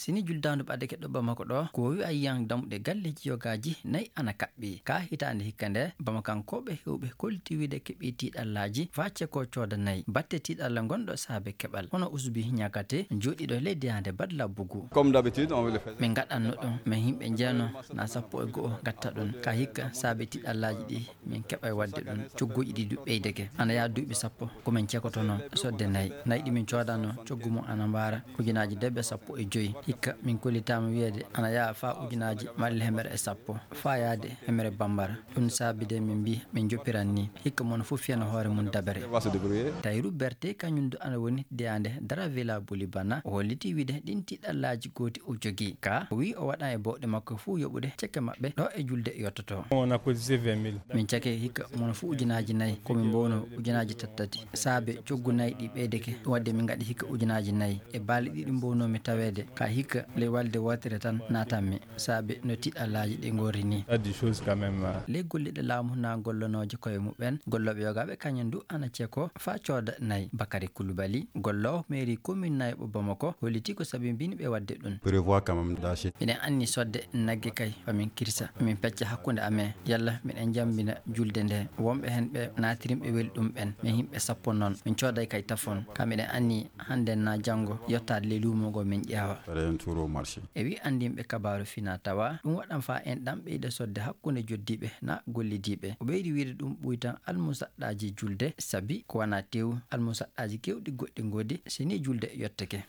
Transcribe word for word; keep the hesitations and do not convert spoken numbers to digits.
Si ni juldaandu ɓadake ɗo Bamako ɗo, ko wi'a yiyan dammuɗe galleeji yogaaji nayi ana kaɓɓi. Ka hitaande hikka nde, Bamakankooɓe heewɓe kolliti wiide keɓii tiiɗallaaji faa ceko cooda nayi. Batte tiiɗalla ngonɗo saabe keɓal. Hono Usbi Ñakate, jooɗiiɗo ley deyaande Badla Bugu. Comme d'habitude, on le fait. Min ngaɗanno ɗum, min yimɓe jeeno naa sappo e go'o ngatta ɗum. Ka hikka saabe tiiɗallaaji ɗi, min keɓay waɗde ɗum. Cogguuji ɗi du ɓeydake. Ana yaha duuɓi sappo, ko min cekotono sodde nayi. Nayi ɗi min coodanno, coggu mum ana mbaara ujunaaji debe sappo e joy. Hikka min kollitaama wiyeede ana yaha faa ujunaaji malla hemere e sappo, faa yaade hemere bambara. Ɗum saabi de min mbii min joppiran ni. Hikka mono fof fiyana hoore mum dabere. On va se débrouiller. Tayru Berte kañum du ana woni deyaande Dara Villa Bulibana. O holliti wiide ɗin tiiɗallaaji gooti o jogii. Ka o wii o waɗan e bawɗe makko fuu yoɓude cekke maɓɓe ɗo e julde yottoto. On a cotisé vingt mille. Min cake hikka mono fuu ujunaaji nayi, ko min mbowno ujunaaji tattati. Saabe coggu nayi ɗi ɓeydake, ɗum waɗde min ngaɗi hikka ujunaaji nayi. E balɗe ɗiɗi mbownoomi taweede, ka hikka ley walde wootere tan naatanmi. Saabe no tiiɗallaaji ɗi ngorri ni. Des choses quand même, euh. Ley golliiɓe laamu naa gollonooje koye muɓɓen, gollooɓe yogaaɓe kañum du ana ceko faa cooda nayi. Bakari Kulubali, golloowo mairie commune nayɓo Bamako, holliti ko sabi mbini ɓe waɗde ɗum. Prévoit quand même d'acheter. Miɗen anni sodde nagge kay, fa min kirsa, min pecca hakkunde amen. Yalla miɗen jambina julde nde. Wonɓe hen ɓe naatirimɓe weli ɗum ɓen. Min yimɓe sappo noon. Min cooday kay tafon. Ka miɗen anni hannde naa janngo yottaade ley luumo ngo min ƴeewa. Faire un tour au marché. E wi anndinɓe kabaaru fina tawa, ɗum waɗan faa en ɗan ɓeyda sodde hakkunde joddiiɓe naa gollidiiɓe. O ɓeydi wiide ɗum ɓuytan almusaɗɗaaji julde, sabi ko wanaa teewu, almusaɗɗaaji keewɗi goɗɗi ngoodi, si ni julde yottake.